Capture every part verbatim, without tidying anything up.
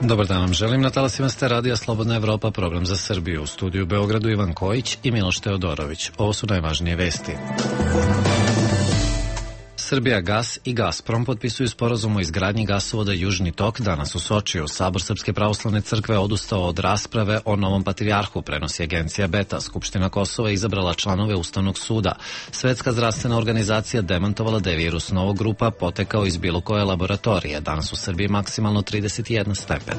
Dobar dan vam želim. Na talasima ste Radija Slobodna Evropa, program za Srbiju. U studiju u Beogradu Ivan Kojić i Miloš Teodorović. Ovo su najvažnije vesti. Srbijagas i Gazprom potpisuju sporazum o izgradnji gasovoda Južni tok danas u Sočiju. Sabor Srpske pravoslavne crkve odustao od rasprave o novom patrijarhu, prenosi agencija Beta. Skupština Kosova izabrala članove Ustavnog suda. Svetska zdravstvena organizacija demantovala da je virus novog grupa potekao iz bilo koje laboratorije. Danas u Srbiji maksimalno trideset jedan stepen.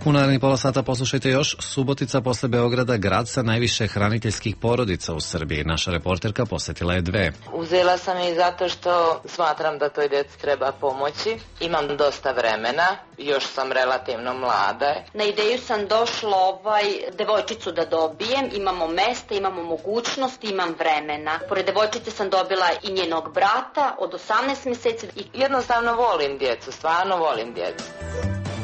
U narednih pola sata poslušajte još. Subotica posle Beograda, grad sa najviše hraniteljskih porodica u Srbiji. Naša reporterka posetila je dve. Uzela sam je zato što smatram da toj deci treba pomoći. Imam dosta vremena, još sam relativno mlada. Na ideju sam došla ovaj devojčicu da dobijem. Imamo mesta, imamo mogućnosti, imam vremena. Pored devojčice sam dobila i njenog brata od osamnaest meseci. I jednostavno volim djecu, stvarno volim djecu.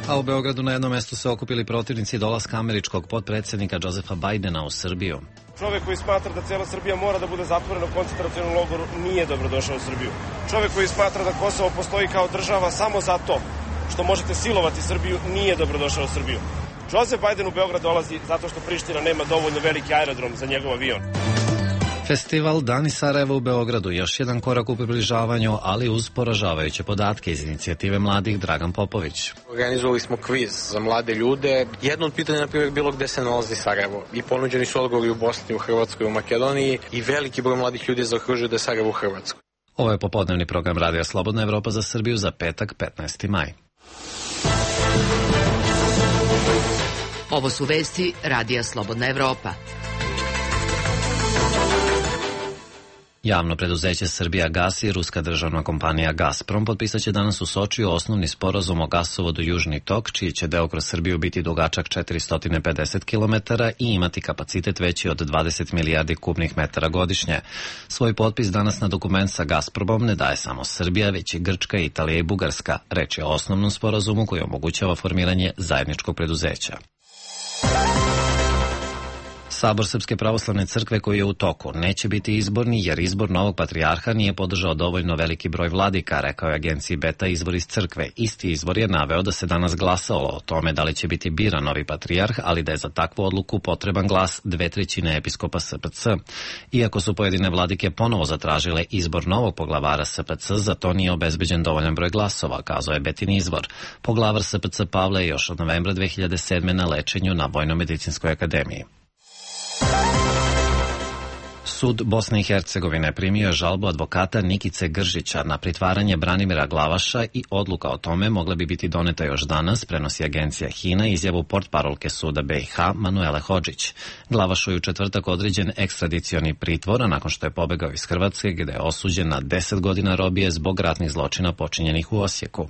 A u Beogradu na jednom mestu se okupili protivnici dolaska američkog potpredsjednika Josefa Bajdena u Srbiju. Čovjek koji smatra da cijela Srbija mora da bude zatvorena u koncentracionom logoru nije dobrodošao u Srbiju. Čovjek koji smatra da Kosovo postoji kao država samo zato što možete silovati Srbiju nije dobrodošao u Srbiju. Josef Bajden u Beograd dolazi zato što Priština nema dovoljno veliki aerodrom za njegov avion. Festival Dani Sarajeva u Beogradu, još jedan korak u približavanju, ali uz poražavajuće podatke iz inicijative mladih Dragan Popović. Organizovali smo kviz za mlade ljude. Jedno od pitanja, na primjer, bilo gde se nalazi Sarajevo. I ponuđeni su odgovori u Bosni, u Hrvatskoj, u Makedoniji i veliki broj mladih ljudi zaokružuje da je Sarajevo u Hrvatskoj. Ovo je popodnevni program Radija Slobodna Evropa za Srbiju za petak, petnaesti maj. Ovo su vesti Radija Slobodna Evropa. Javno preduzeće Srbijagas i ruska državna kompanija Gazprom potpisat će danas u Sočiju osnovni sporazum o gasovodu Južni tok, čiji će deo kroz Srbiju biti dugačak četiristo pedeset kilometara i imati kapacitet veći od dvadeset milijardi kubnih metara godišnje. Svoj potpis danas na dokument sa Gazpromom ne daje samo Srbija, već i Grčka, Italija i Bugarska. Reč je o osnovnom sporazumu koji omogućava formiranje zajedničkog preduzeća. Sabor Srpske pravoslavne crkve koji je u toku neće biti izborni jer izbor novog patrijarha nije podržao dovoljno veliki broj vladika, rekao je agenciji Beta izvor iz crkve. Isti izvor je naveo da se danas glasalo o tome da li će biti biran novi patrijarh, ali da je za takvu odluku potreban glas dve trećine episkopa S P C. Iako su pojedine vladike ponovo zatražile izbor novog poglavara S P C, za to nije obezbeđen dovoljan broj glasova, kazao je Betin izvor. Poglavar S P C Pavle je još od novembra dve hiljade sedme na lečenju na Vojno-medicinskoj akademiji. Sud Bosne i Hercegovine primio je žalbu advokata Nikice Gržića na pritvaranje Branimira Glavaša i odluka o tome mogla bi biti doneta još danas, prenosi agencija Hina izjavu portparolke suda B i H Manuele Hodžić. Glavašu je u četvrtak određen ekstradicioni pritvor, a nakon što je pobegao iz Hrvatske gde je osuđen na deset godina robije zbog ratnih zločina počinjenih u Osijeku.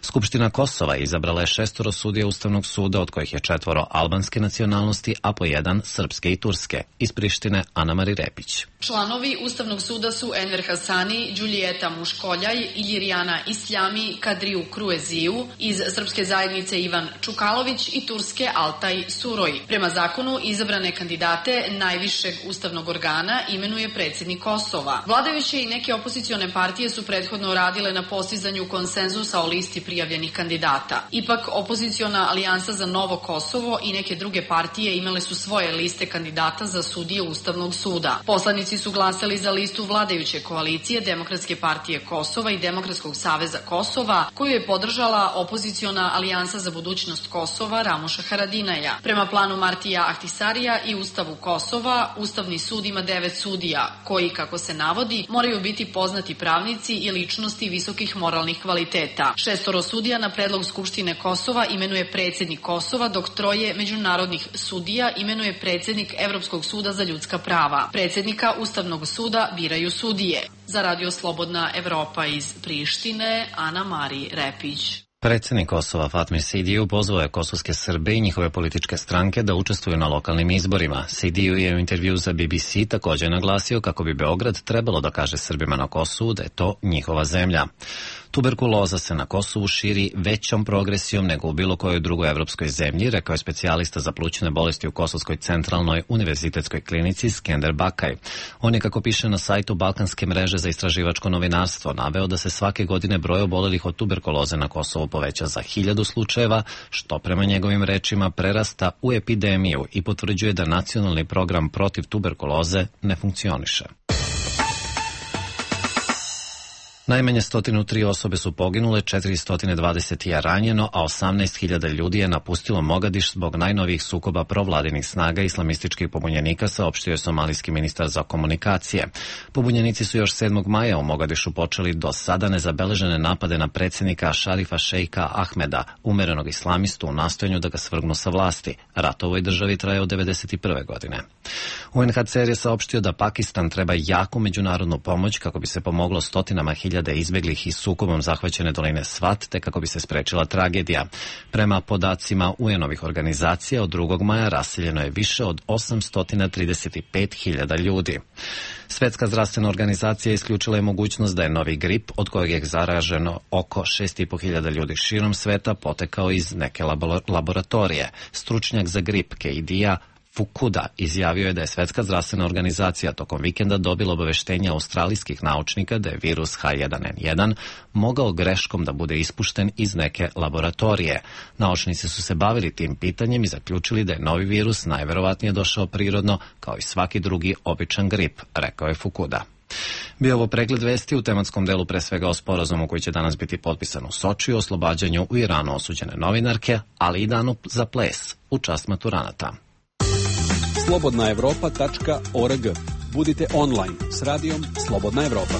Skupština Kosova izabrala je šestoro sudija Ustavnog suda, od kojih je četvoro albanske nacionalnosti, a po jedan srpske i turske. Iz Prištine Ana-Mari Repić. Članovi Ustavnog suda su Enver Hasani, Đulijeta Muškoljaj, Iljirijana Isljami, Kadriju Krueziju, iz Srpske zajednice Ivan Čukalović i Turske Altaj Suroj. Prema zakonu izabrane kandidate najvišeg ustavnog organa imenuje predsjednik Kosova. Vladajuće i neke opozicione partije su prethodno radile na postizanju konsenzusa o listi prijavljenih kandidata. Ipak opoziciona alijansa za Novo Kosovo i neke druge partije imale su svoje liste kandidata za sudije Ustavnog suda. Poslanici su glasali za listu vladajuće koalicije Demokratske partije Kosova i Demokratskog saveza Kosova, koju je podržala opoziciona alijansa za budućnost Kosova Ramuša Haradinaja. Prema planu Martija Ahtisarija i Ustavu Kosova, Ustavni sud ima devet sudija, koji, kako se navodi, moraju biti poznati pravnici i ličnosti visokih moralnih kvaliteta. Šestoro sudija na predlog Skupštine Kosova imenuje predsjednik Kosova, dok troje međunarodnih sudija imenuje predsjednik Evropskog suda za ljudska prava. Predsjednika Ustavnog suda biraju sudije. Za Radio Slobodna Evropa iz Prištine, Ana-Mari Repić. Predsjednik Kosova Fatmir Sidiju pozvao je kosovske Srbe i njihove političke stranke da učestvuju na lokalnim izborima. Sidiju je u intervju za B B C također naglasio kako bi Beograd trebalo da kaže Srbima na Kosovu da je to njihova zemlja. Tuberkuloza se na Kosovu širi većom progresijom nego u bilo kojoj drugoj evropskoj zemlji, rekao je specijalista za plućne bolesti u Kosovskoj centralnoj univerzitetskoj klinici Skender Bakaj. On je, kako piše na sajtu Balkanske mreže za istraživačko novinarstvo, naveo da se svake godine broj obolelih od tuberkuloze na Kosovu poveća za hiljadu slučajeva, što prema njegovim rečima prerasta u epidemiju i potvrđuje da nacionalni program protiv tuberkuloze ne funkcioniše. Najmanje sto tri osobe su poginule, četiristo dvadeset je ranjeno, a osamnaest hiljada ljudi je napustilo Mogadiš zbog najnovijih sukoba provladinih snaga islamističkih pobunjenika, saopštio je somalijski ministar za komunikacije. Pobunjenici su još sedmog maja u Mogadišu počeli do sada nezabeležene napade na predsjednika Šarifa Šejka Ahmeda, umerenog islamistu, u nastojanju da ga svrgnu sa vlasti. Rat u ovoj državi traje od devedeset prve godine. U en ha ce er je saopštio da Pakistan treba jaku međunarodnu pomoć kako bi se pomoglo stotinama hiljada izbeglih iz sukobom zahvaćene doline Svat, te kako bi se sprečila tragedija. Prema podacima U En-ovih organizacija, od drugog maja raseljeno je više od osamsto trideset pet hiljada ljudi. Svetska zdravstvena organizacija isključila je mogućnost da je novi grip, od kojeg je zaraženo oko šest i po hiljada ljudi širom sveta, potekao iz neke laboratorije. Stručnjak za grip Keidija Fukuda izjavio je da je Svetska zdravstvena organizacija tokom vikenda dobila obaveštenja australijskih naučnika da je virus ha jedan en jedan mogao greškom da bude ispušten iz neke laboratorije. Naučnici su se bavili tim pitanjem i zaključili da je novi virus najverovatnije došao prirodno, kao i svaki drugi običan grip, rekao je Fukuda. Bio ovo pregled vesti u tematskom delu, pre svega o sporazumu koji će danas biti potpisan u Sočiju, oslobađanju u Iranu osuđene novinarke, ali i danu za ples u čast maturanata. slobodna evropa tačka org. Budite online s radijom Slobodna Evropa.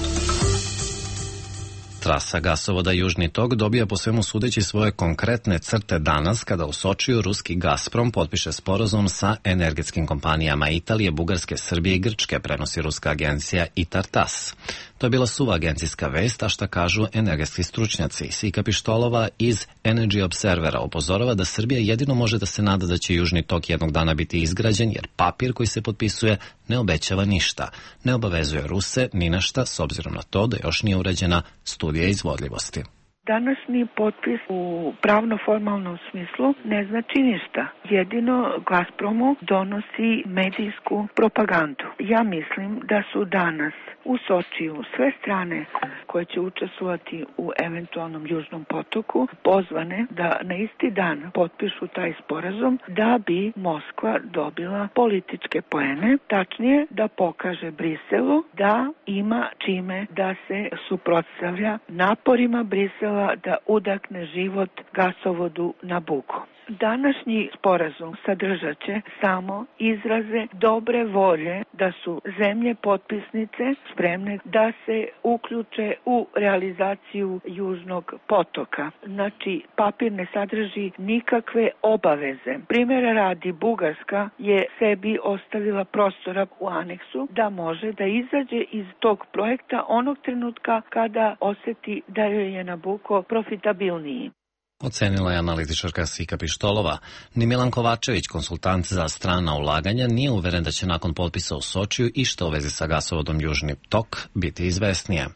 Trasa gasovoda Južni tok dobija po svemu sudeći svoje konkretne crte danas kada u Sočiju ruski Gazprom potpiše sporazum sa energetskim kompanijama Italije, Bugarske, Srbije i Grčke, prenosi ruska agencija Itar-Tas. To je bila suva agencijska vest, a šta kažu energetski stručnjaci. Sika Pištolova iz Energy Observera upozorava da Srbija jedino može da se nada da će Južni tok jednog dana biti izgrađen, jer papir koji se potpisuje ne obećava ništa. Ne obavezuje Ruse ni na šta, s obzirom na to da još nije urađena studija izvodljivosti. Današnji potpis u pravno-formalnom smislu ne znači ništa. Jedino Gazpromu donosi medijsku propagandu. Ja mislim da su danas u Sočiju sve strane koje će učestvovati u eventualnom Južnom potoku pozvane da na isti dan potpišu taj sporazum da bi Moskva dobila političke poene, tačnije da pokaže Briselu da ima čime da se suprotstavlja naporima Brisela da udahne život gasovodu Nabucco. Današnji sporazum sadržat će samo izraze dobre volje da su zemlje potpisnice spremne da se uključe u realizaciju Južnog potoka. Znači, papir ne sadrži nikakve obaveze. Primjera radi, Bugarska je sebi ostavila prostora u aneksu da može da izađe iz tog projekta onog trenutka kada oseti da joj je Nabucco profitabilniji. Ocenila je analitičarka Sika Pištolova. Ni Milan Kovačević, konsultant za strana ulaganja, nije uveren da će nakon potpisa u Sočiju i što u vezi sa gasovodom Južni tok biti izvesnije.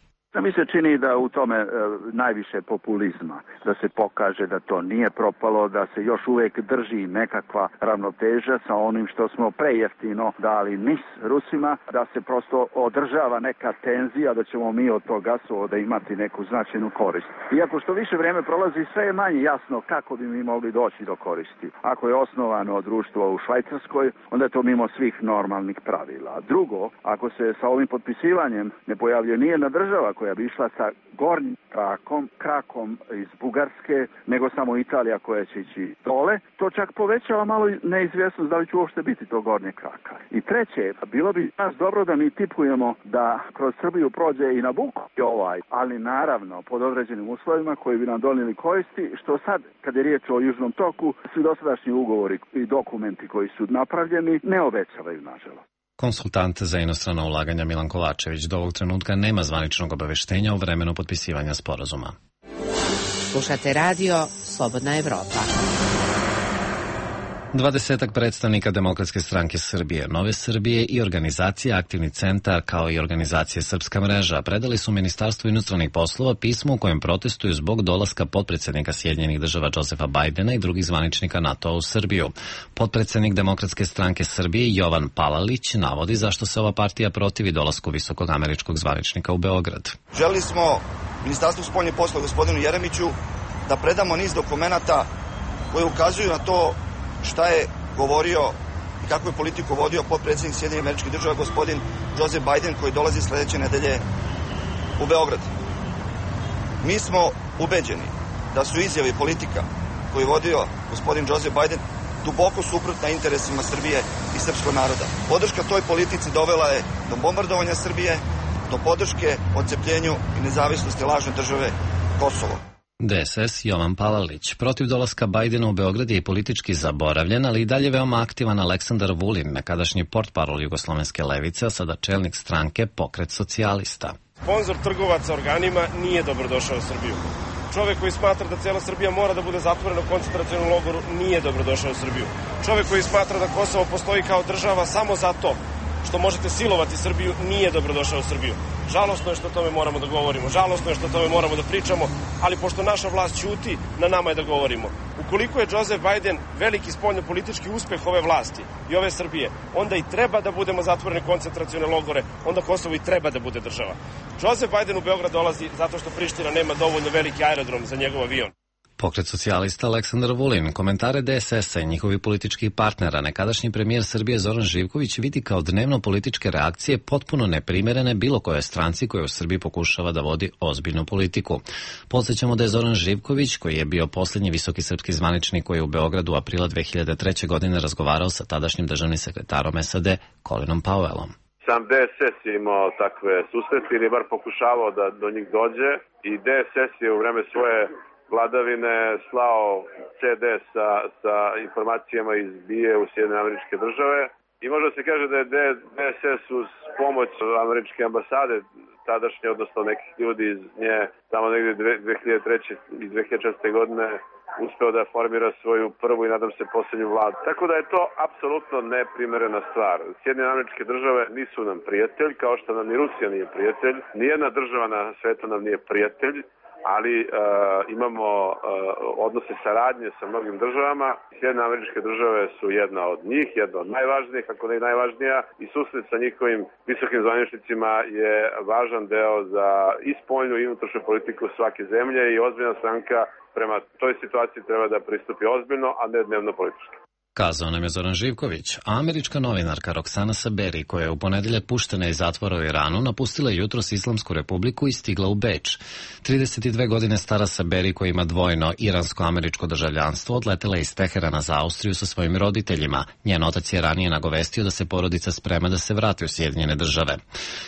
Mi se čini da u tome e, najviše populizma, da se pokaže da to nije propalo, da se još uvijek drži nekakva ravnoteža sa onim što smo prejeftino dali nis Rusima, da se prosto održava neka tenzija, da ćemo mi od tog gasovoda imati neku značajnu korist. Iako što više vreme prolazi, sve je manje jasno kako bi mi mogli doći do koristi. Ako je osnovano društvo u Švajcarskoj, onda je to mimo svih normalnih pravila. Drugo, ako se sa ovim potpisivanjem ne pojavljuje nijedna država koja bi išla sa gornjim krakom, krakom iz Bugarske, nego samo Italija koja će ići dole, to čak povećava malo neizvjesnost da li će uopšte biti to gornje kraka. I treće, bilo bi nas dobro da mi tipujemo da kroz Srbiju prođe i Nabucco ovaj, ali naravno pod određenim uslovima koji bi nam donijeli koristi, što sad, kad je riječ o Južnom toku, svi dosadašnji ugovori i dokumenti koji su napravljeni ne obećavaju, nažalost. Konsultant za inostrana ulaganja Milan Kovačević do ovog trenutka nema zvaničnog obaveštenja o vremenu potpisivanja sporazuma. Slušate radio Slobodna Evropa. Dvadesetak predstavnika Demokratske stranke Srbije, Nove Srbije i organizacija Aktivni centar kao i organizacije Srpska mreža predali su Ministarstvu inostranih poslova pismo u kojem protestuju zbog dolaska potpredsednika Sjedinjenih država Josefa Bajdena i drugih zvaničnika NATO u Srbiju. Potpredsednik Demokratske stranke Srbije Jovan Palalić navodi zašto se ova partija protivi dolasku visokog američkog zvaničnika u Beograd. Želeli smo Ministarstvu spoljnih poslova gospodinu Jeremiću da predamo niz dokumenata koji ukazuju na to šta je govorio i kakvu je politiku vodio potpredsjednik Sjedinjenih Američkih Država gospodin Joseph Biden koji dolazi sledeće nedelje u Beograd. Mi smo ubeđeni da su izjave i politika koju je vodio gospodin Joseph Biden duboko suprotna interesima Srbije i srpskog naroda. Podrška toj politici dovela je do bombardovanja Srbije, do podrške odcepljenju i nezavisnosti lažne države Kosovo. D S S Jovan Palalić. Protiv dolaska Bajdena u Beograd je i politički zaboravljen, ali i dalje veoma aktivan Aleksandar Vulin, nekadašnji portparol jugoslovenske levice, a sada čelnik stranke Pokret socijalista. Sponzor trgovaca organima nije dobrodošao u Srbiju. Čovek koji smatra da cijela Srbija mora da bude zatvorena u koncentracionom logoru nije dobrodošao u Srbiju. Čovek koji smatra da Kosovo postoji kao država samo zato što možete silovati Srbiju nije dobrodošao u Srbiju. Žalosno je što o tome moramo da govorimo, žalosno je što o tome moramo da pričamo, ali pošto naša vlast ćuti, na nama je da govorimo. Ukoliko je Joseph Biden veliki spoljno-politički uspeh ove vlasti i ove Srbije, onda i treba da budemo zatvoreni koncentracione logore, onda Kosovo i treba da bude država. Joseph Biden u Beograd dolazi zato što Priština nema dovoljno veliki aerodrom za njegov avion. Pokret socijalista Aleksandar Vulin komentare D S S-a i njihovih političkih partnera nekadašnji premijer Srbije Zoran Živković vidi kao dnevno političke reakcije potpuno neprimerene bilo koje stranci koja u Srbiji pokušava da vodi ozbiljnu politiku. Podsjećamo da je Zoran Živković, koji je bio posljednji visoki srpski zvaničnik koji je u Beogradu aprila dve hiljade treće. godine razgovarao sa tadašnjim državnim sekretarom S A D Colinom Powellom. Sam D S S je imao takve susrete ili bar pokušavao da do njih dođe i D S S je u vreme svoje vladavine slao C D sa, sa informacijama iz B I A u Sjedinjene Američke Države i može se kaže da je D S S uz pomoć američke ambasade tadašnje, odnosno nekih ljudi iz nje tamo negdje dve hiljade treće. i dve hiljade četvrte. godine uspeo da formira svoju prvu i nadam se posljednju vladu. Tako da je to apsolutno neprimerena stvar. Sjedinjene Američke Države nisu nam prijatelj, kao što nam ni Rusija nije prijatelj. Nijedna država na svetu nam nije prijatelj, ali uh, imamo uh, odnose saradnje sa mnogim državama. Sjedinjene Američke Države su jedna od njih, jedna od najvažnijih, ako ne i najvažnija, i susret sa njihovim visokim zvaničnicima je važan deo za i spoljnu i unutrašnju politiku svake zemlje i ozbiljna stranka prema toj situaciji treba da pristupi ozbiljno, a ne dnevno politički. Kazao nam je Zoran Živković, a američka novinarka Roxana Saberi, koja je u ponedeljak puštena iz zatvora u Iranu, napustila jutros Islamsku republiku i stigla u Beč. trideset dve godine stara Saberi, koja ima dvojno iransko-američko državljanstvo, odletela je iz Teherana za Austriju sa svojim roditeljima. Njen otac je ranije nagovestio da se porodica sprema da se vrati u Sjedinjene države.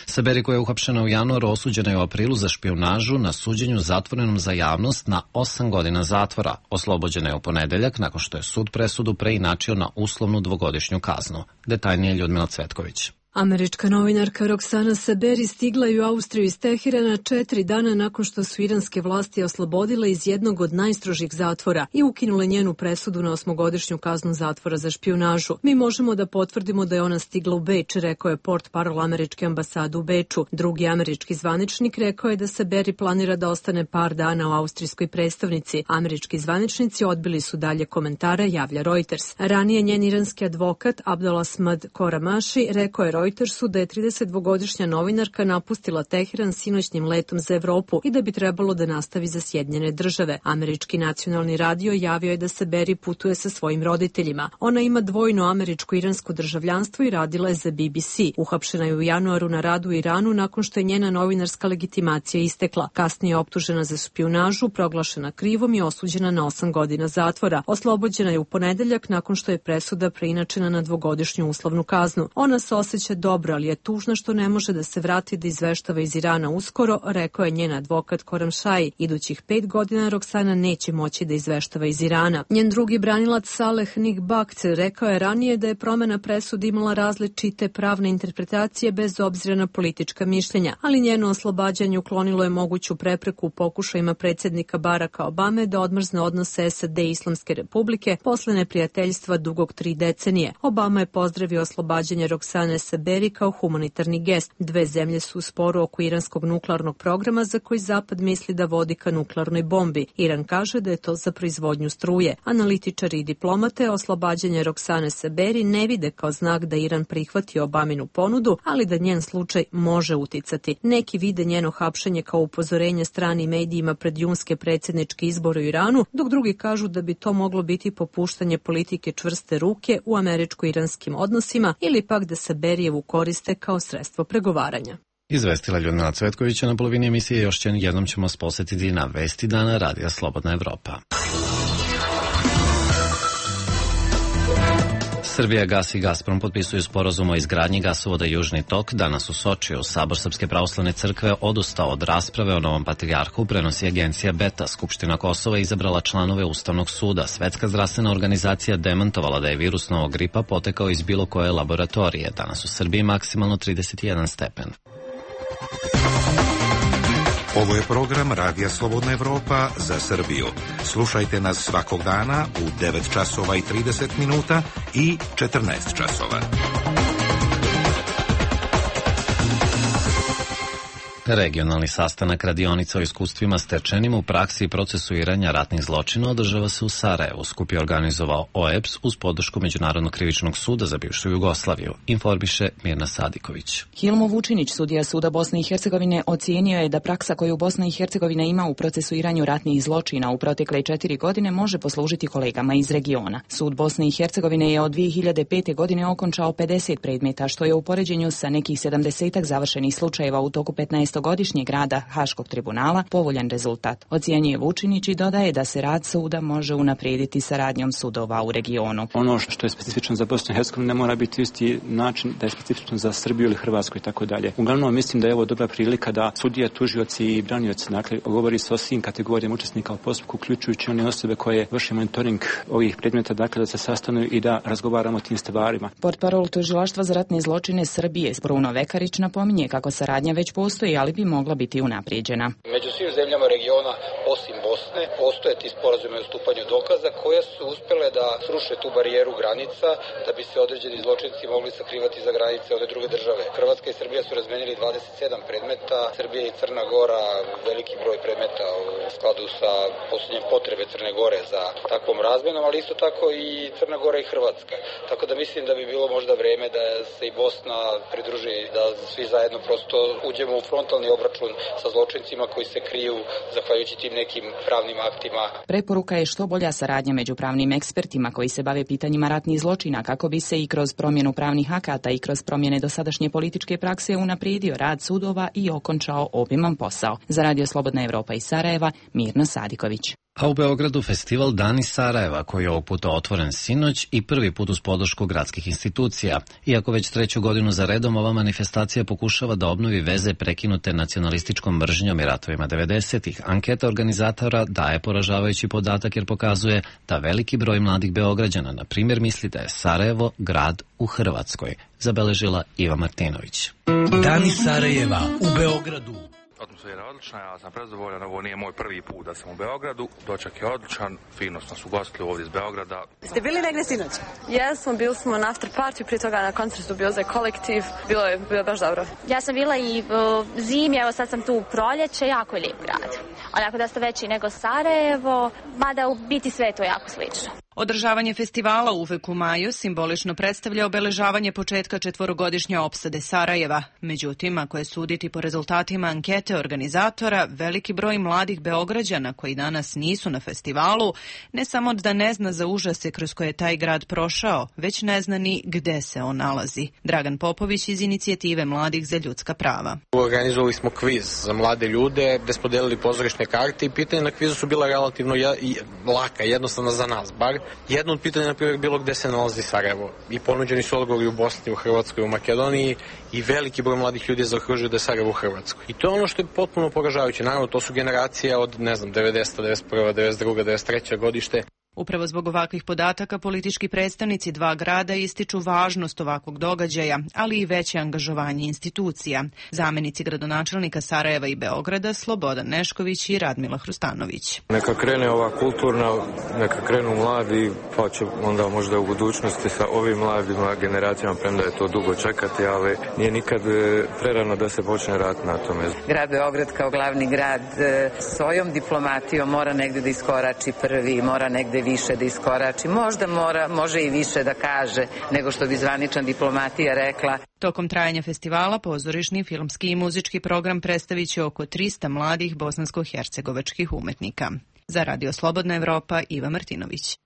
Saberi, koja je uhapšena u januaru, osuđena je u aprilu za špijunažu na suđenju zatvorenom za javnost na osam godina zatvora. Oslobođena je u ponedeljak nakon što je sud presudu preinačio na uslovnu dvogodišnju kaznu. Detaljnije Ljudmila Cvetković. Američka novinarka Roxana Saberi stigla je u Austriju iz Teherana četiri dana nakon što su iranske vlasti oslobodile iz jednog od najstrožih zatvora i ukinule njenu presudu na osmogodišnju kaznu zatvora za špijunažu. Mi možemo da potvrdimo da je ona stigla u Beč, rekao je portparol američke ambasade u Beču. Drugi američki zvaničnik rekao je da Saberi planira da ostane par dana u austrijskoj predstavnici. Američki zvaničnici odbili su dalje komentare, javlja Reuters. Ranije njen iranski advokat Abdolasmad Koramaši rekao je Reutersu da je tridesetdvogodišnja novinarka napustila Teheran sinoćnjim letom za Evropu i da bi trebalo da nastavi za Sjedinjene države. Američki nacionalni radio javio je da Saberi putuje sa svojim roditeljima. Ona ima dvojno američko-iransko državljanstvo i radila je za B B C. Uhapšena je u januaru na radu u Iranu nakon što je njena novinarska legitimacija istekla. Kasnije je optužena za špijunažu, proglašena krivom i osuđena na osam godina zatvora. Oslobođena je u ponedeljak nakon što je presuda preinačena na dvogodišnju uslovnu kaznu. Ona se osjeća osjeća dobro, ali je tužna što ne može da se vrati da izveštava iz Irana uskoro, rekao je njen advokat Khorramshahi. Idućih pet godina Roksana neće moći da izveštava iz Irana. Njen drugi branilac Saleh Nigbakt rekao je ranije da je promena presude imala različite pravne interpretacije bez obzira na politička mišljenja, ali njeno oslobađanje uklonilo je moguću prepreku u pokušajima predsjednika Baracka Obame da odmrzne odnose S A D i Islamske republike posle neprijateljstva dugog tri decenije. Obama je pozdravio oslobađanje Roksane Saberi kao humanitarni gest. Dve zemlje su u sporu oko iranskog nuklearnog programa za koji Zapad misli da vodi ka nuklearnoj bombi. Iran kaže da je to za proizvodnju struje. Analitičari i diplomate oslobađanje Roksane Saberi ne vide kao znak da Iran prihvati Obaminu ponudu, ali da njen slučaj može uticati. Neki vide njeno hapšenje kao upozorenje stranim medijima pred junske predsjedničke izbore u Iranu, dok drugi kažu da bi to moglo biti popuštanje politike čvrste ruke u američko-iranskim odnosima ili pak da se Berijevu koriste kao sredstvo pregovaranja. Izvestila Ljudmila Cvetkovića. Na polovini emisije još jednom ćemo vas posjetiti na Vesti dana Radija Slobodna Evropa. Srbija gas i Gazprom potpisuju sporazum o izgradnji gasovoda Južni tok. Danas u Sočiju Sabor Srpske pravoslavne crkve odustao od rasprave o novom patrijarhu, prenosi agencija Beta. Skupština Kosova izabrala članove Ustavnog suda. Svetska zdravstvena organizacija demantovala da je virus novog gripa potekao iz bilo koje laboratorije. Danas u Srbiji maksimalno trideset jedan stepen. Ovo je program Radija Slobodna Evropa za Srbiju. Slušajte nas svakog dana u devet časova i trideset minuta i četrnaest časova. Regionalni sastanak radionica o iskustvima stečenim u praksi i procesuiranja ratnih zločina održava se u Sarajevu. Skup je organizovao O E B S uz podršku Međunarodnog krivičnog suda za bivšu Jugoslaviju, informiše Mirna Sadiković. Hilmo Vučinić, sudija suda Bosne i Hercegovine, ocijenio je da praksa koju Bosna i Hercegovina ima u procesuiranju ratnih zločina u protekle četiri godine može poslužiti kolegama iz regiona. Sud Bosne i Hercegovine je od dvije hiljade pete. godine okončao pedeset predmeta, što je u poređenju sa nekih sedamdesetak završenih slučajeva u toku petnaestogodišnjeg rada Haškog tribunala povoljan rezultat. Ocijenjuje Vučinić i dodaje da se rad suda može unaprijediti saradnjom sudova u regionu. Ono što je specifično za Bosnu i Hercegovinu ne mora biti isti način da je specifično za Srbiju ili Hrvatsku i tako dalje. Uglavnom mislim da je ovo dobra prilika da sudije, tužioci i branioci, dakle, govori se o svim kategorijama učesnika u postupku, uključujući one osobe koje vrše monitoring ovih predmeta, dakle da se sastanu i da razgovaramo o tim stvarima. Portparol Tužilaštva za ratne zločine Srbije Bruno Vekarić napominje kako saradnja već postoji, ali bi mogla biti unaprijeđena. Među svim zemljama regiona, osim Bosne, postoje ti sporazumi o stupanju dokaza koje su uspjele da sruše tu barijeru granica da bi se određeni zločinci mogli sakrivati za granice one druge države. Hrvatska i Srbija su razmenili dvadeset sedam predmeta, Srbija i Crna Gora veliki broj predmeta u skladu sa posljednjem potrebe Crne Gore za takvom razmenom, ali isto tako i Crna Gora i Hrvatska. Tako da mislim da bi bilo možda vreme da se i Bosna pridruži, da svi zajedno prosto uđemo u frontalni obračun sa zločincima koji se kriju zahvaljujući tim nekim pravnim aktima. Preporuka je što bolja saradnja među pravnim ekspertima koji se bave pitanjima ratnih zločina kako bi se i kroz promjenu pravnih akata i kroz promjene dosadašnje političke prakse unaprijedio rad sudova i okončao obiman posao. Za Radio Slobodna Evropa iz Sarajeva, Mirna Sadiković. A u Beogradu festival Dani Sarajeva, koji je ovog puta otvoren sinoć i prvi put uz podršku gradskih institucija. Iako već treću godinu za redom ova manifestacija pokušava da obnovi veze prekinute nacionalističkom mržnjom i ratovima devedesetih, anketa organizatora daje poražavajući podatak jer pokazuje da veliki broj mladih Beograđana, na primjer, misli da je Sarajevo grad u Hrvatskoj, zabeležila Iva Martinović. Dani Sarajeva u Beogradu. Atmosfera je odlična, ja sam prezadovoljan, ovo nije moj prvi put da sam u Beogradu, doček je odličan, fino smo su ugostili ovdje iz Beograda. Ste bili negdje sinoć? Jesmo, bili smo na after party, prije toga na koncertu bio za kolektiv, bilo je, bilo je baš dobro. Ja sam bila i uh, zimi, evo sad sam tu u proljeće, jako je lijep grad. Onako da ste veći nego Sarajevo, mada u biti sve je to jako slično. Održavanje festivala uvek u maju simbolično predstavlja obeležavanje početka četvorogodišnje opsade Sarajeva. Međutim, ako je suditi po rezultatima ankete organizatora, veliki broj mladih Beograđana koji danas nisu na festivalu ne samo da ne zna za užase kroz koje je taj grad prošao, već ne zna ni gde se on nalazi. Dragan Popović iz inicijative Mladih za ljudska prava. Organizovali smo kviz za mlade ljude gde smo delili pozorišne karte i pitanja na kvizu su bila relativno laka, jednostavna za nas bar. Jedno od pitanja, na primjer, bilo gde se nalazi Sarajevo. I ponuđeni su odgovori u Bosni, u Hrvatskoj, u Makedoniji i veliki broj mladih ljudi je zaokružio da je Sarajevo u Hrvatskoj. I to je ono što je potpuno poražavajuće. Naravno, to su generacije od, ne znam, devedesete, devedeset prve, devedeset druge, devedeset treće godište. Upravo zbog ovakvih podataka politički predstavnici dva grada ističu važnost ovakvog događaja, ali i veće angažovanje institucija. Zamenici gradonačelnika Sarajeva i Beograda Slobodan Nešković i Radmila Hrustanović. Neka krene ova kulturna, neka krenu mladi, pa će onda možda u budućnosti sa ovim mladima generacijama, premda je to dugo čekati, ali nije nikad prerano da se počne rat na tome. Grad Beograd kao glavni grad svojom diplomatijom mora negde da iskorači prvi, mora negde više da iskorači, možda mora, može i više da kaže nego što bi zvanična diplomatija rekla. Tokom trajanja festivala pozorišni, filmski i muzički program predstavit će oko trista mladih bosansko-hercegovačkih umetnika. Za Radio Slobodna Evropa, Iva Martinović.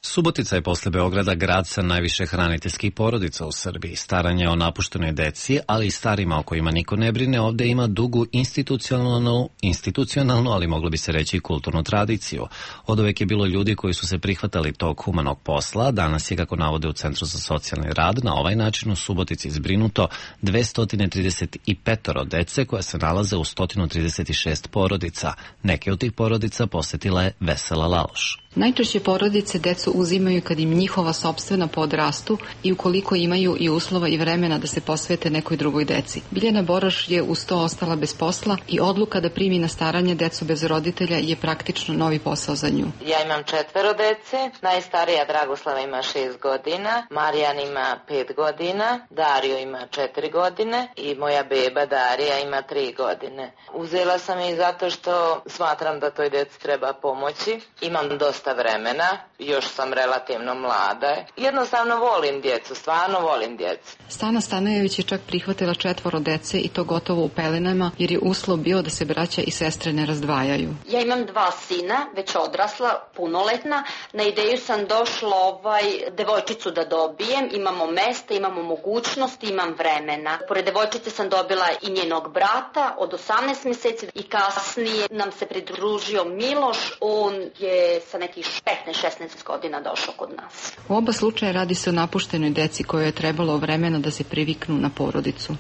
Subotica je posle Beograda grad sa najviše hraniteljskih porodica u Srbiji. Staranje o napuštenoj deci, ali i starima o kojima niko ne brine, ovde ima dugu institucionalnu, institucionalnu, ali moglo bi se reći i kulturnu tradiciju. Oduvek je bilo ljudi koji su se prihvatali tog humanog posla. Danas je, kako navode u Centru za socijalni rad, na ovaj način u Subotici zbrinuto dvesta trideset pet dece koja se nalaze u sto trideset šest porodica. Neke od tih porodica posetila je Vesela Laloš. Najčešće porodice decu uzimaju kad im njihova sopstvena podrastu i ukoliko imaju i uslova i vremena da se posvete nekoj drugoj deci. Biljana Boroš je uz to ostala bez posla i odluka da primi na staranje decu bez roditelja je praktično novi posao za nju. Ja imam četvero dece, najstarija Dragoslava ima šest godina, Marijan ima pet godina, Dario ima četiri godine i moja beba Darija ima tri godine. Uzela sam je zato što smatram da toj deci treba pomoći. Imam dosta vremena, još sam relativno mlada. Jednostavno volim djecu, stvarno volim djecu. Stana Stanojević je čak prihvatila četvoro dece i to gotovo u pelenama, jer je uslov bio da se braća i sestre ne razdvajaju. Ja imam dva sina, već odrasla, punoletna. Na ideju sam došla ovaj, devojčicu da dobijem. Imamo mesta, imamo mogućnosti, imam vremena. Pored devojčice sam dobila i njenog brata od osamnaest mjeseci i kasnije nam se pridružio Miloš. On je sa nekih petnaest šesnaest godina došao kod nas. U oba slučaja radi se o napuštenoj deci kojoj je trebalo vremena da se priviknu na porodicu.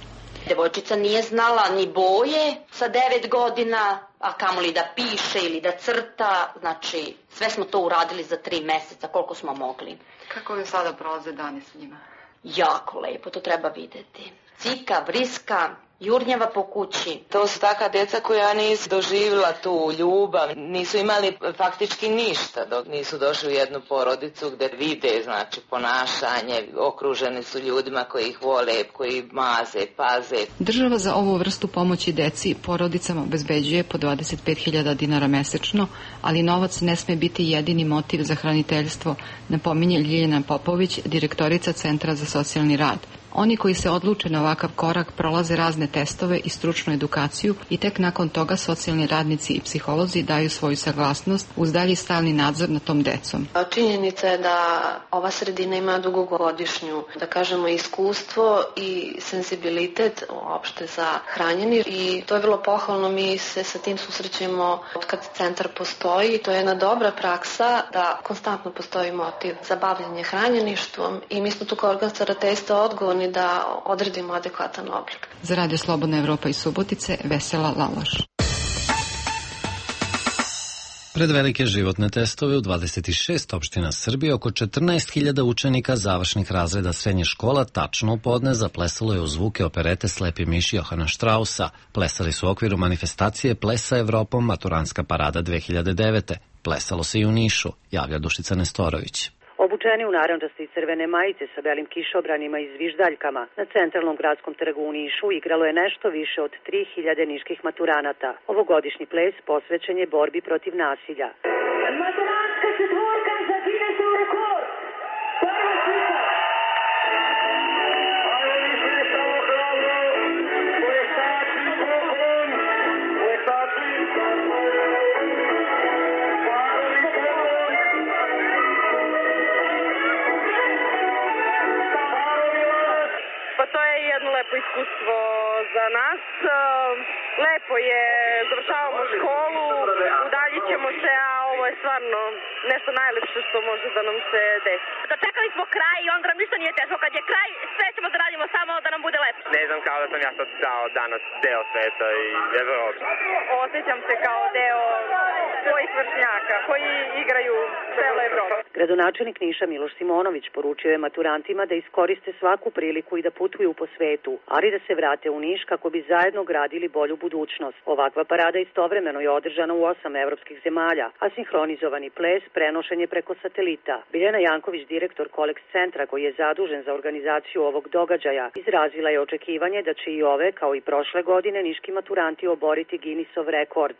Devojčica nije znala ni boje sa devet godina, a kamoli da piše ili da crta, znači sve smo to uradili za tri meseca koliko smo mogli. Kako vam sada prolaze dani s njima? Jako lepo, to treba videti. Cika, vriska, jurnjava po kući. To su taka djeca koja nisu doživjela tu ljubav, nisu imali faktički ništa dok nisu došli u jednu porodicu gdje vide, znači, ponašanje, okruženi su ljudima koji ih vole, koji maze, paze. Država za ovu vrstu pomoći deci porodicama obezbeđuje po dvadeset pet hiljada dinara mesečno, ali novac ne sme biti jedini motiv za hraniteljstvo, napominje Ljiljana Popović, direktorica Centra za socijalni rad. Oni koji se odluče na ovakav korak prolaze razne testove i stručnu edukaciju i tek nakon toga socijalni radnici i psiholozi daju svoju saglasnost uz dalji stalni nadzor nad tom decom. Činjenica je da ova sredina ima dugogodišnju, da kažemo, iskustvo i senzibilitet uopšte za hranjeni i to je vrlo pohvalno. Mi se sa tim susrećemo od kad centar postoji. To je jedna dobra praksa da konstantno postoji motiv za bavljenje hranjeništvom i mi smo tu kao organ starateljstva odgovorni da odredimo adekvatan oblik. Za Radio Slobodna Evropa iz Subotice, Vesela Laloš. Pred velike životne testove u dvadeset šest opština Srbije oko četrnaest hiljada učenika završnih razreda srednje škola tačno u podne zaplesalo je u zvuke operete Slepi miš Johana Štrausa. Plesali su u okviru manifestacije Plesa Evropom Maturanska parada dve hiljade devete. Plesalo se i u Nišu, javlja Dušica Nestorović. Obučeni u narandžaste i crvene majice sa belim kišobranima i zviždaljkama, na centralnom gradskom trgu u Nišu igralo je nešto više od tri hiljade niških maturanata. Ovogodišnji ples posvećen je borbi protiv nasilja. Maturanska četvorka za Guinnessu rekord! Prva slika! To je jedno lepo iskustvo za nas. Lepo je, završavamo školu, udaljit ćemo se, a ovo je stvarno nešto najlepše što može da nam se desi. Dočekali smo kraj i onda nam ništa nije teško. Kad je kraj, sve ćemo da radimo samo da nam bude lepo. Ne znam, kao da sam ja sad dao danas deo sveta i Evrope. Osjećam se kao deo svojih vršnjaka koji igraju celo Evropu. Gradonačelnik Niša Miloš Simonović poručio je maturantima da iskoriste svaku priliku i da putuju po svetu, ali da se vrate u Niš kako bi zajedno gradili bolju budućnost. Ovakva parada istovremeno je održana u osam evropskih zemalja, a sinhronizovani ples prenošen je preko satelita. Biljana Janković, direktor Koleks centra koji je zadužen za organizaciju ovog događaja, izrazila je očekivanje da će i ove, kao i prošle godine, niški maturanti oboriti Guinnessov rekord.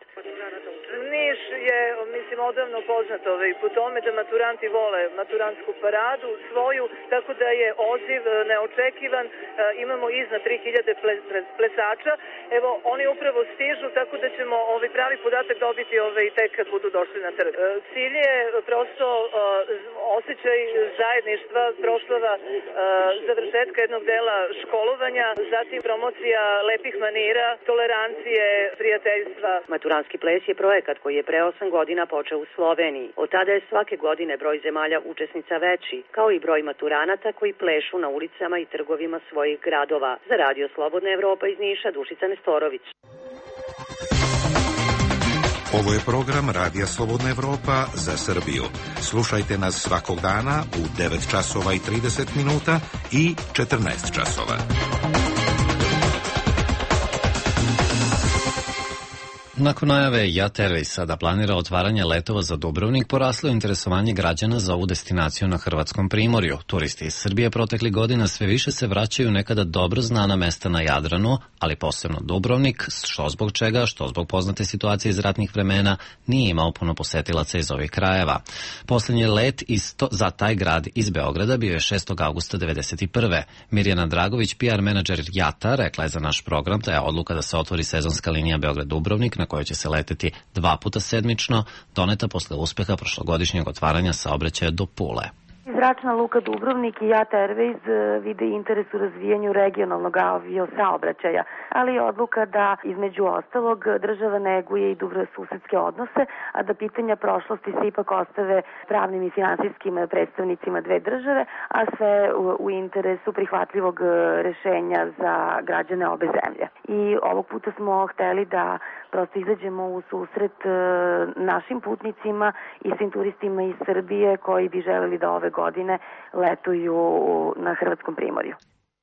Niš je, mislim, odavno poznat ovaj, po tome da maturanti vole maturantsku paradu svoju, tako da je odziv neočekivan. E, imamo iznad tri hiljade plesača. Evo, oni upravo stižu, tako da ćemo ovaj pravi podatak dobiti ovaj, tek kad budu došli na trg. E, cilj je prosto e, osjećaj zajedništva, proslava e, završetka jednog dela školovanja, zatim promocija lepih manira, tolerancije, prijateljstva. Maturanski ples je projekat koji je pre osam godina počeo u Sloveniji. Od tada je svake godine broj zemalja učesnica veći, kao i broj maturanata koji plešu na ulicama i trgovima svojih gradova. Za Radio Slobodna Evropa iz Niša, Dušica Nestorović. Ovo je program Radija Slobodna Evropa za Srbiju. Slušajte nas svakog dana u devet časova i trideset minuta i četrnaest časova. Nakon najave Jat Airwaysa da planira otvaranje letova za Dubrovnik, poraslo je interesovanje građana za ovu destinaciju na hrvatskom primorju. Turisti iz Srbije proteklih godina sve više se vraćaju nekada dobro znana mesta na Jadranu, ali posebno Dubrovnik, što zbog čega, što zbog poznate situacije iz ratnih vremena, nije imao puno posetilaca iz ovih krajeva. Posljednji let isto za taj grad iz Beograda bio je šestog avgusta devedeset prve. Mirjana Dragović, P R menadžer Jata, rekla je za naš program da je odluka da se otvori sezonska linija Beograd-Dubrovnik, na kojoj će se leteti dva puta sedmično, doneta posle uspeha prošlogodišnjeg otvaranja saobraćaja do Pule. Zračna luka Dubrovnik i Jat Airways vide interes u razvijanju regionalnog aviosaobraćaja, ali je odluka da između ostalog država neguje i dobrosusedske odnose, a da pitanja prošlosti se ipak ostave pravnim i finansijskim predstavnicima dve države, a sve u, u interesu prihvatljivog rešenja za građane obe zemlje. I ovog puta smo hteli da prosto izađemo u susret našim putnicima i svim turistima iz Srbije koji bi želeli da ove godine letuju na hrvatskom primorju.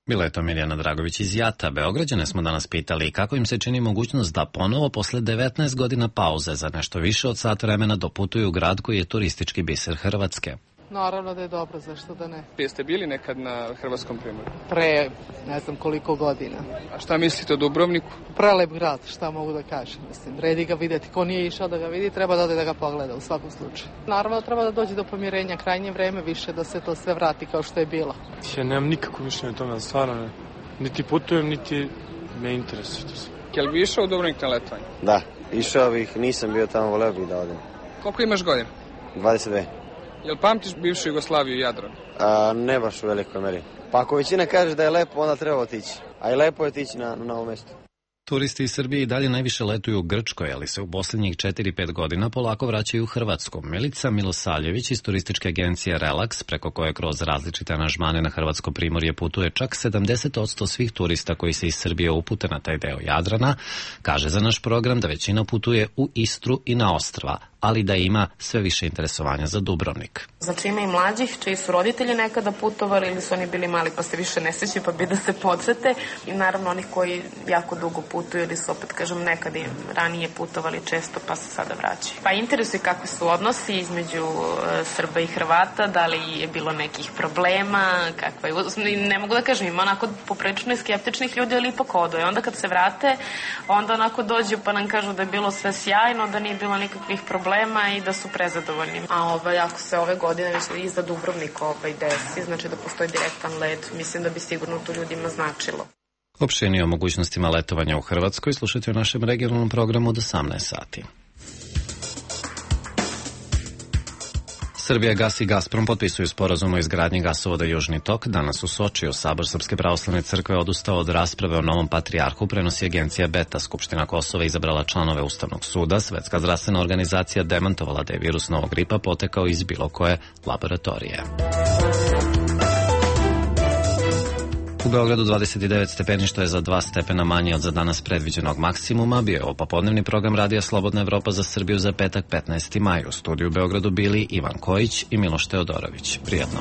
Bila je to Mirjana Dragović iz Jata. Beograđane smo danas pitali kako im se čini mogućnost da ponovo posle devetnaest godina pauze za nešto više od sat vremena doputuju u grad koji je turistički biser Hrvatske. Naravno da je dobro, zašto da ne. Jeste bili nekad na hrvatskom primorju? Pre, ne znam koliko godina. A šta mislite o Dubrovniku? Prelep grad, šta mogu da kažem. Mislim, vredi ga videti. Ko nije išao da ga vidi, treba da ode da ga pogleda u svakom slučaju. Naravno treba da dođe do pomirenja, krajnje vreme više da se to sve vrati kao što je bilo. Ja nemam nikakvo mišljenje o tome, stvarno ne. Niti putujem, niti me interesuje to sve. Jel bi išao u Dubrovnik na letovanje? Da, išao bih, nisam bio tamo, voleo bih da odem. Koliko imaš godina? dvadeset dve. Jel pamtiš bivšu Jugoslaviju i Jadran? A, ne baš u velikoj meri. Pa ako većina kaže da je lepo, onda treba otići. A i lepo je otići na, na ovo mesto. Turisti iz Srbije i dalje najviše letuju u Grčkoj, ali se u posljednjih četiri pet godina polako vraćaju u Hrvatsku. Milica Milosavljević iz turističke agencije Relax, preko koje kroz različite aranžmane na hrvatsko primorje putuje čak sedamdeset posto svih turista koji se iz Srbije upute na taj deo Jadrana, kaže za naš program da većina putuje u Istru i na ostrva, ali da ima sve više interesovanja za Dubrovnik. Znači ima i mlađih čiji su roditelji nekada putovali ili su oni bili mali pa se više ne sećaju pa bi da se podsete, i naravno onih koji jako dugo putuju ili su, opet kažem, nekada ranije putovali često pa se sada vraćaju. Pa interesuje kakvi su odnosi između e, Srba i Hrvata, da li je bilo nekih problema, kakva je, ne mogu da kažem, ima onako poprilično i skeptičnih ljudi, ali ipak odoje. Onda kad se vrate, onda onako dođu pa nam kažu da je bilo sve sjajno, da nije bilo nikakvih problema i da su prezadovoljni. A ovaj, ako se ove godine već i za Dubrovnik ovaj desi, znači da postoji direktan let, mislim da bi sigurno to ljudima značilo. Opširnije o mogućnostima letovanja u Hrvatskoj slušajte u našem regionalnom programu od osamnaest sati. Srbija, Gas i Gazprom potpisuju sporazum o izgradnji gasovoda Južni tok. Danas u Sočiju Sabor Srpske pravoslavne crkve odustao od rasprave o novom patrijarhu, prenosi agencija Beta. Skupština Kosova izabrala članove Ustavnog suda. Svetska zdravstvena organizacija demantovala da je virus novog gripa potekao iz bilo koje laboratorije. U Beogradu dvadeset devet stepeni, što je za dva stepena manje od za danas predviđenog maksimuma. Bio je ovo popodnevni program Radija Slobodna Evropa za Srbiju za petak petnaesti maj. U studiju u Beogradu bili Ivan Kojić i Miloš Teodorović. Prijatno.